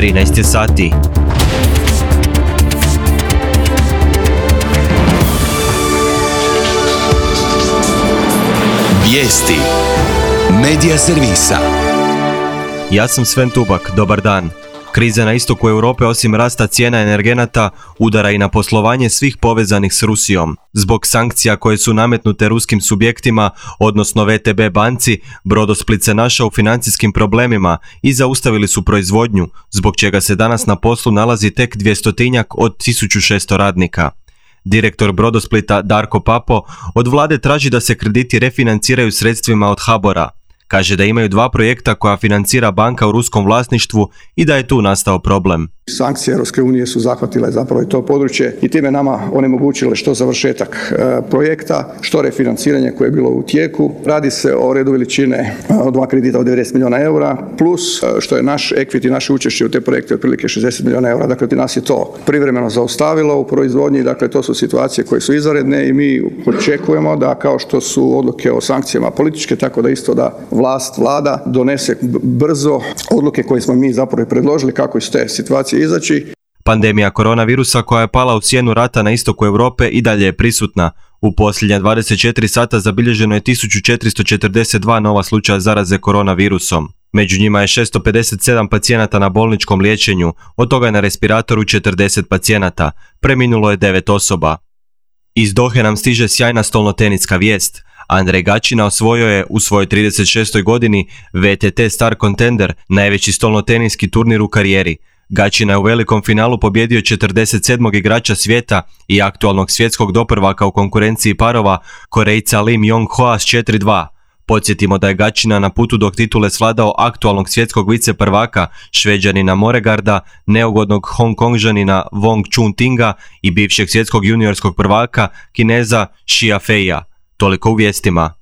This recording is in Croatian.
13 je sati. Vijesti Medija servisa. Ja sam Sven Tubak, dobar dan. Kriza na istoku Europe osim rasta cijena energenata udara i na poslovanje svih povezanih s Rusijom. Zbog sankcija koje su nametnute ruskim subjektima, odnosno VTB banci, Brodosplit se našao u financijskim problemima i zaustavili su proizvodnju, zbog čega se danas na poslu nalazi tek 200-tinjak od 1600 radnika. Direktor Brodosplita Darko Papo od vlade traži da se krediti refinanciraju sredstvima od HBOR-a. Kaže da imaju dva projekta koja financira banka u ruskom vlasništvu i da je tu nastao problem. Sankcije Europske unije su zahvatile zapravo i to područje i time nama onemogućile što završetak projekta, što refinanciranje koje je bilo u tijeku. Radi se o redu veličine od dva kredita od 90 milijuna eura, plus što je naš equity, naše učešće u te projekte otprilike 60 milijuna eura. Dakle, nas je to privremeno zaustavilo u proizvodnji. Dakle, to su situacije koje su izvanredne i mi očekujemo da kao što su odluke o sankcijama političke, tako da isto da vlada donese brzo odluke koje smo mi zapravo predložili kako iz te situacije izaći. Pandemija koronavirusa koja je pala u sjenu rata na istoku Europe i dalje je prisutna. U posljednja 24 sata zabilježeno je 1442 nova slučaja zaraze koronavirusom. Među njima je 657 pacijenata na bolničkom liječenju, od toga je na respiratoru 40 pacijenata. Preminulo je 9 osoba. Iz Dohe nam stiže sjajna stolnoteniska vijest. Andrej Gaćina osvojio je u svojoj 36. godini VTT Star Contender, najveći stolnoteniski turnir u karijeri. Gaćina je u velikom finalu pobjedio 47. igrača svijeta i aktualnog svjetskog doprvaka u konkurenciji parova, Korejca Lim Jong-hoa s 4-2. Podsjetimo da je Gaćina na putu do titule svladao aktualnog svjetskog viceprvaka, Šveđanina Moregarda, neugodnog Hongkongžanina Wong Chun-tinga i bivšeg svjetskog juniorskog prvaka, Kineza Xia Feia. Toliko u vijestima.